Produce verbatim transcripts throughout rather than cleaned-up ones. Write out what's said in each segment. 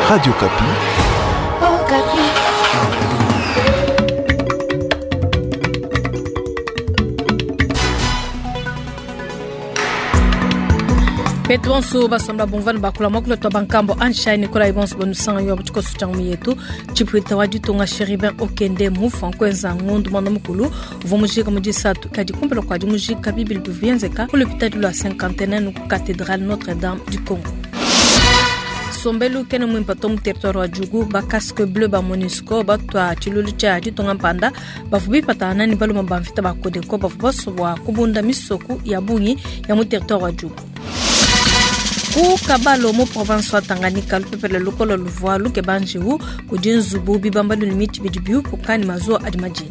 Radio Okapi. Okapi. Petu bonso basomba bomvana bakula mwakula twa bankambo ansha Nicolas bonso bonusanga yo butikoso tjangu yetu chipwita wa ditunga Chérubin Okende mufa nkwenza ngundu mwana mukulu uvua mujika mu disatu kadi kumpala kua dimujika bibili bivuenzeka ku lupitadi lua cinquantenaire ku cathédrale Notre-Dame du Congo. Sombelu kene mwimpa to mu territoire wa Djugu ba casque bleu ba MONUSCO batwa tshilulu tshia ditunga mpanda bavua bipatana ne baluma ba mvita ba Codeco bavua basubwa kubunda misoku ya bungi ya mu territoire wa Djugu. Ku Kabalo mu province wa Tanganyika lupepele lukolo luvua lukeba njiwu kudi nzubu bibambalu ne mitshi bidi biupuka ne mazuwa adi majina.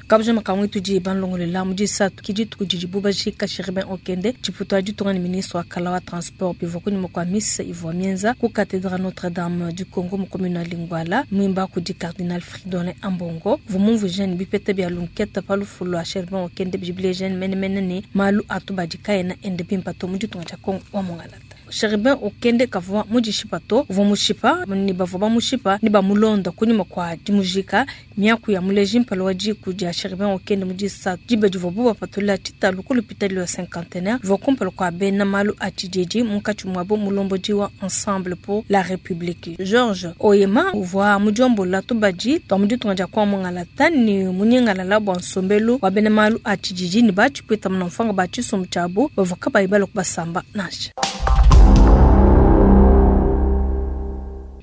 Kabujama kamwe tudi banlongolela mu disatu ki dituku didibu bajika Chérubin Okende tshiputu wa ditunga ne ministre wa kala wa transport bivua kunyima kua misa ivua mienza ku cathédrale Notre-Dame du Congo mu commune ya Lingwala mwimba kudi cardinal Fridolin Ambongo uvua mumvuija ne bipeta bia lunketa pa lufu lua Chérubin Okende bidi bileja menemene ne malu atu badi kaena ende bimpa to mu ditunga dia Congo wa Mongalata. Chérubin Okende kavua mudishipa to uvua mushipa ne bavua bamushipa ne bamulonda kunyima kua dimujika miaku ya muleji mpala wa diku dia Chérubin Okende mu disatu diba divuabu bapatula tshitalu ku lupitadi lua cinquantenaire bivua kumpala kua bena malu a tshididi munkatshi muabu mulombodi wa Ensemble pour la République Georges Oyema uvua mudiombola tubadi tua mu ditunga dia Congo Mongalata ne munyingalala bua nsombelu wa bena malu a tshididi ne batshipwita munamfanga ba tshisumbu tshiabu bavua kabayi balue kubasamba nansha.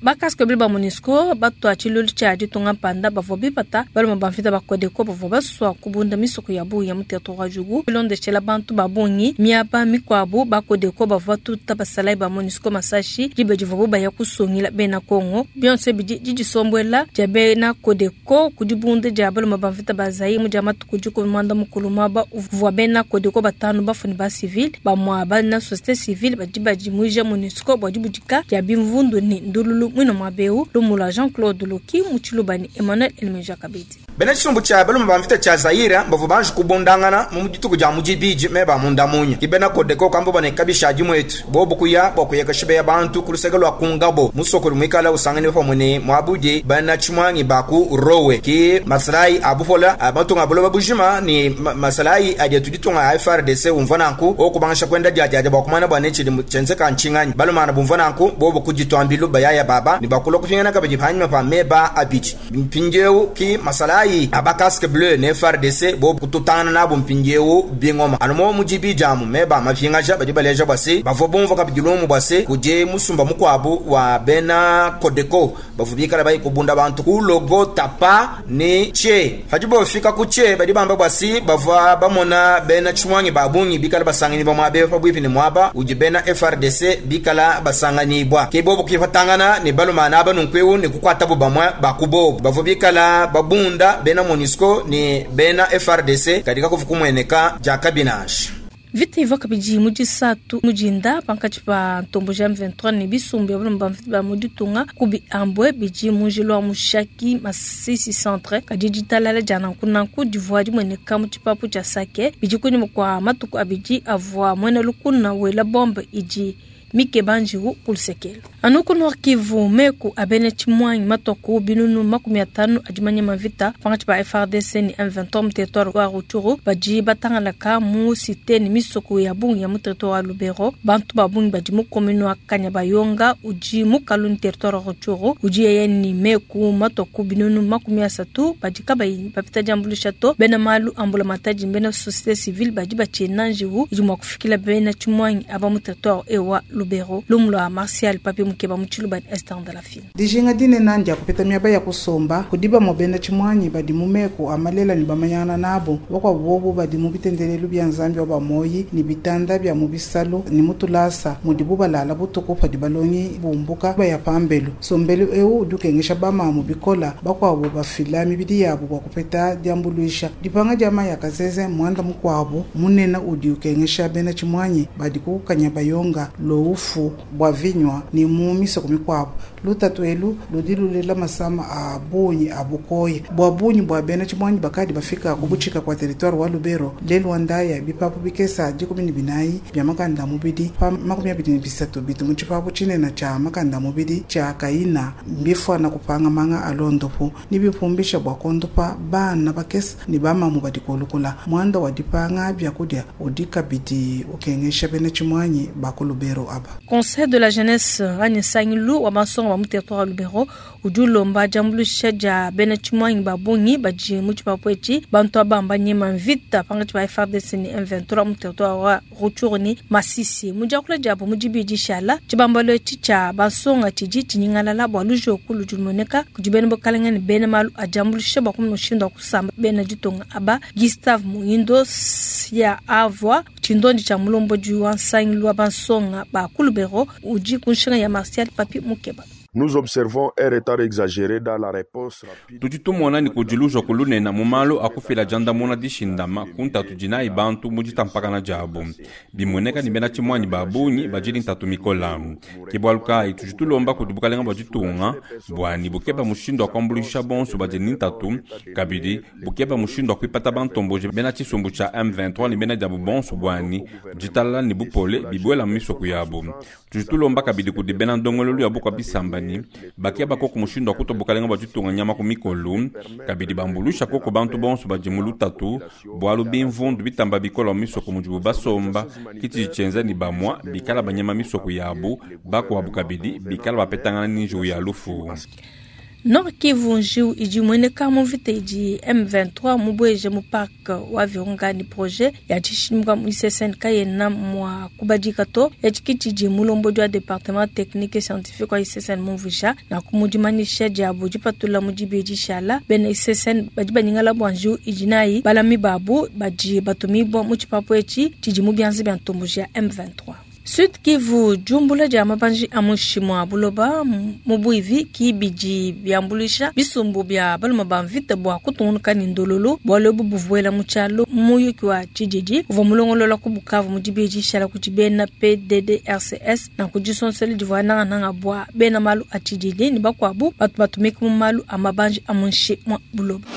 Bakaske bleu ba MONUSCO batwa tshilulu tshia ditunga mpanda bavua bipata baluma ba mvita ba Codeco bavua basua kubunda misoko ya bungi ya mu territoire wa Djugu bilondeshela bantu ba bungi miaba mikuabu ba Codeco bavua batuta basalayi ba MONUSCO masashi diba divuabu baya kusungila bena Congo bionso bidi didisombuela dia bena Codeco ku dibunda dia baluma ba mvita ba Zaïre mu dia matuku dikumi muanda mukulu muaba uvua bena Codeco batanu bafuni ba civil bamua bana société civile badi badimuija MONUSCO bua dibudika dia bimvundu ne ndululu mwino mwabeu lumula Jean-Claude Loki muchilubani Emmanuel Elmeja Kabedi. Bena tshisumbu tshia baluma ba mvita tshia Zaïre bavua banji kubundangana mu dituku dia mudibidi me ba munda munya. Ki bena Codeco kamba bane kabisha dimwetu bobu kuya bua kuyeka shibeya bantu ku luseke lua kungabo musokoli muikala usangane pamwe ne muabudi bena tshimwangi ba ku Rowe ki masalayi abupola abatunga buloba bujima ni masalayi adi tuditunga a F R D C umva nanku okubangisha kwenda dia dia bua kumana bua ne tshidi tshenzeka ntshinganyi balumana bumva nanku bobu kuditwambilu bayaya baba ni bakula kupingana kabidi panyima pa meba abidi mpindieu ki masalayi aba casque bleu ne F R D C bobu kututana nabo mpindieu bingoma anumo mujibi jamu meba mapingaja badi baleja bwase bavua bumva kabidi lumu bwase kuje musumba mukwabu wa bena Codeco bavua bikala bayi kubunda bantu ku logo tapa ne che hajibo fika ku che badi bamba bwasi bavua bamona bena chimwangi babungi bikala basangani ba mwabe pabwipi ne mwaba uji bena F R D C bikala basangani bwa ke bobu kifatangana ne balumana aba nunkweu ne kukwata bo bamwe bakubo bavua bikala babunda bena MONUSCO ne bena F R D C katika kufukumweneka ja kabinage. Vita ivua kabidi mu disatu mujinda pankatshi pa ntombo ja M vingt-trois ne bisumbu ya baluma ba mu ditunga ku biambwe bidi mu njila wa Mushaki Masisi centre kadi ditalala dia nanku nanku divua dimueneka mu tshipapu tshia Sake bidi kunyima kua matuku abidi avua muena lukuna wela bombe idi mikeba njiwu ku lusekelo. Anu ku Nord Kivu meku abene tshimwangi matoku binunu makumi atanu adi manyema mvita pankatshi pa F R D C ne M vingt-trois mu territoire wa Rutshuru badi batangalaka mu cité ne misoko ya bungi ya mu territoire wa Lubero bantu ba bungi badi mu commune wa Kanyabayonga udi mu Kaluni territoire wa Rutshuru udi yeye ni meku matoku binunu makumi asatu badi kabayi bapita diambuluisha to bena malu ambula matadi bena société civile badi batshina njiwu idi mua kufikila bena tshimwangi aba mu territoire ewa Lubero lumulwa Martial Papi Mukeba muchiluba Esther de la Fine. Dijinga dinene ndia kupeta miaba ya kusomba kudiba mobenda tshimwanyi badi mu meko amalela ni bamanyana nabo bakwa bobo badi mu bitendelelu bya nzambi wa bamoyi ni bitanda bya mu bisalo ni mutulasa mudibu balala butuku padi balongi bumbuka baya pambelu sombelu eu udukengesha bamamu bikola bakwabo bafila mibidi yabo bwa kupeta diambuluisha dipanga dia maya kazeze mwanda mukwabo munena udi ukengesha bena tshimwanyi badi kukanya bayonga lo bufu bua vinywa ni mu misoko mikuabu. Lutatu elu ludi lulela masama a bungi a bukoya bua bungi bua bena tshimuangi bakadi bafika kubuchika kwa territoire wa Lubero lelu wandaya bipapu bikesa dikumi ne binayi bia makanda mubidi pa makumi abidi ne bisatu bitu mu tshipapu tshinene tshia makanda mubidi tshia kaina mbifwana kupanga manga alondopo ni bipumbisha bua kondopa bana bakesa ni bamamu badi kolukula mwanda wa dipanga byakudia udi kabidi ukengesha bena tshimuangi ba ku Lubero aba. Conseil de la jeunesse anyi nsangilu wa bansonga ba mu territoire wa Lubero udi ulomba diambuluisha dia bena tshimuangi ba bungi badi mu tshipapu etshi bantu aba mbanyema mvita pankatshi ba F R D C ne M vingt-trois mu territoire wa Rutshuru ne Masisi. Mu diakula diabu mu dibidi shala tshibambalu etshi tshia bansonga tshidi tshinyingalala bua lujoku ludi lumueneka kudi bena bukalenge ne bena malu a diambuluisha bua kumona mushindu wa kusamba bena ditunga aba. Gustave Muindo ya avua tshindondi tshia mulombodi wa nsangilu wa bansonga ba ku Lubero udi ku nshinga ya Martial Papi Mukeba. Nous observons un retard exagéré dans la réponse rapide. Tudi tumona ni kudiluja kulunena mu malu akufila jandamuna dishindama kuntatu dinayi bantu mu ditampakana diabu. Bimueneka ni bena tshimuanyi ba bungi bajili ntatu mikola. Ke bualu kayi tudi tulomba kudi bukalenga bua ditunga bua ni bukeba mushindu wa kuambuluisha bonso badi ni ntatu, kabidi bukeba mushindu wa kuipata bantomboji bena tshisumbu tshia M vingt-trois ni bena diabu bonso bua ni ditalala ni bupole bibuela mu misoko yabu. Tudi tulomba kabidi kudi bena ndongololu ya bukua bisamba ni bakeba koko mushindu wa kutoa bukalenga bua ditunga nyama ku mikolu, kabidi bambulusha koko bantu bonso badi mu lutatu, bualu bimvundu bitamba bikola mu misoko mudibu basomba, kiti tshienza ni bamwa bikala banyama misoko yabu, bakuabu kabidi bikala bapetangana ni njiwu ya lufu. Nord Kivu njiwu idi mueneka mu mvita idi M vingt-trois mubueje mu parc wa Virunga ni projet ya tshishimuka mu I C S N kayena mua kubadika to etshi tshidi mulombodi wa département technique et scientifique wa I C S N mumvuisha na kumudimanisha diabu dipatula mu dibidi shala bena I C S N badi banyingala bua njiwu idi nayi balami babu badi batumibua mu tshipapu etshi tshidi mu bianza bia ntomboji ya M vingt-trois. Sud Kivu jumbula dia mabanji a mushi mwa buloba mu buivi ki bidi biambuluisha bisumbu bia baluma ba mvita bua kutungunuka ne ndololo bualu ebu buvuela mu tshialo muyuki wa tshididi uvua mulongolola ku Bukavu mu dibidi shala kudi bena P D D R C S na ku disonsela divua nangananga bua bena malu a tshididi ne bakuabu batu batumika mu malu a mabanji a mushi mwa buloba.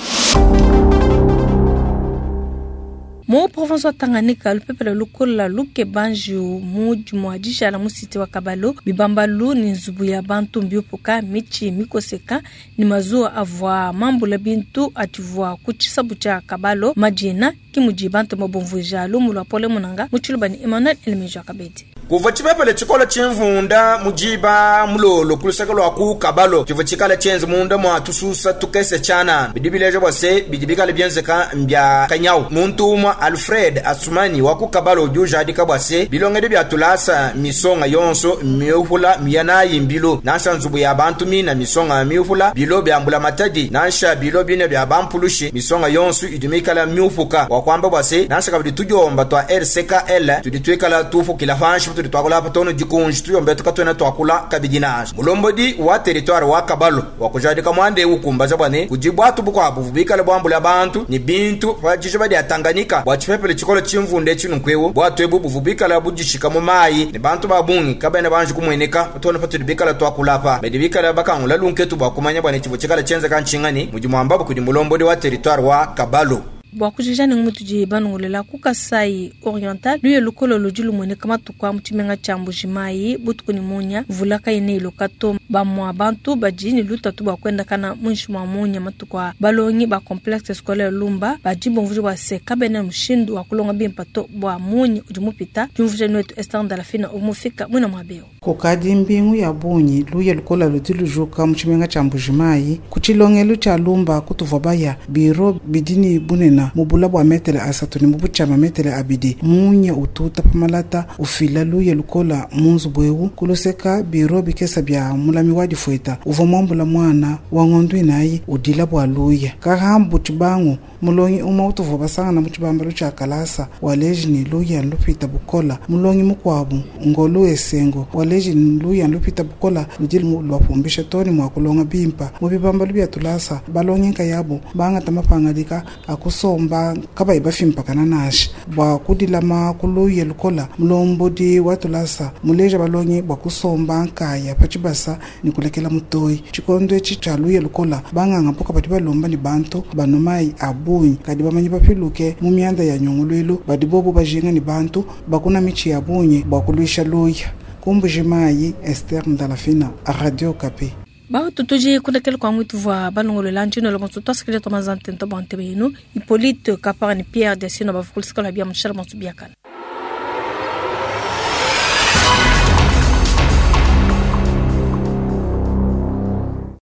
Mu province wa Tanganyika lupepele lukola luke banju mu dimua dishala mu cité wa Kabalo bibambalu ni nzubu ya bantu mbiupuka michi mikoseka ni mazuwa avua mambula bintu ativua ku tshisabu tshia Kabalo madina ki mudi bantu mabumvuija lumu lua pole munanga mu tshiluba ni Emmanuel Elmeja Kabedi. Kuva tshipepele tshikola tshimvunda mujiba mulolo kulusaka lwa ku Kabalo tshiva tshikala tshienze munda mwa tususa tukese tshanana bidi bileja bua se bidi bikala bienzeka mbya kanyau muntu umwa Alfred Asumani wa ku Kabalo udi ujadika bua se bilongedi bia tulasa misonga yonso miuhula miyanayi mbilo nansha nzubu ya bantu mina misonga miuhula bilo bya mbula matadi nansha bilo bine bya bampulushi misonga yonso idi mikala miupuka wa kwamba bua se nansha kabidi tudiomba twa R C K L tudi tuikala tufukila panshi tudi twakula patono dikunji tuyombe tukatwena twakula kabidi nansha mulombodi wa territoire wa Kabalo wa kujadika mwande ukumbaza bwane kujibwatu bukwabu bikala bwambula bantu ni bintu pajisho badi ya Tanganyika bwa tshipepele tshikolo tshimvunde tshinukwewo bwatu ebu buvubikala budishika mu mayi ni bantu babungi kabene banji kumweneka patona patudi bikala twakula pa badi bikala bakangula lunketu bwa kumanya bwane tshivo tshikala tshienzeka ntshingani mudi mwambabu kudi mulombodi wa territoire wa Kabalo. Bua kujija ne ngumutu banungulela ku Kasai Oriental luye lukolo ludi lumueneka matuku a mu tshimenga tshia Mbujimayi butuku ne munya mvula kayina iloka to bamua bantu badi ne lutatu bua kuendakana muinshi mua munya matuku a balongi ba complexe scolaire Lumba badi bumvuija bua se kabena mushindu wa kulonga bimpe to bua munya udi mupita diumvuija netu Esther Ndalafina umufika mwina muabeo. Kukadi mbingu ya bungi luye lukola ludi lujuka mu tshimenga tshia Mbujimayi ku tshilongelu tshia Lumba kutuvua baya biro bidi ne bunena mubula bua metele asatu ne mubutshama metele abidi munya ututa pamalata ufila luye lukola mu nzubu ewu kuluseka biro bikesa bia mulami Mulami wa difueta uvua muambula muana wa ngondu inayi udila bua luya. Kahambu tshibangu mulongi umue utuvua basangana mu tshibambalu tshia kalasa waleji ne luya lupita bukola. Mulongi mukuabu ngolu esengo waleji ne luya lupita bukola ludi lubapumbisha too ne mua kulonga bimpa. Mu bibambalu bia tulasa balongi nkayabu bangata mapangadika akusomba kabayi bafimpakana nansha bua kudilama kuluya lukola. Mulombodi wa tulasa muleja balongi bua kusomba nkaya pa tshibasa ne kulekela mutoyi. Tshikondo etshi tshia luya lukola banganga mpoka badi balomba ne bantu banua mayi a bungi kadi bamanyi bapiluke mu mianda ya nyunguluilu badi bobo bajinga ne bantu bakuna mitshi ya bungi bua kuluisha luya. Kumbuji mayi Esther Ndalafina, Radio Okapi. Bautu tudi kundekela kua mwitu vua balongolola njino lo monso twasikile twa mazantento bua ntebe yenu Hippolyte Kapara ne Pierre Desino bavukulisikala bia mushala monso biakana.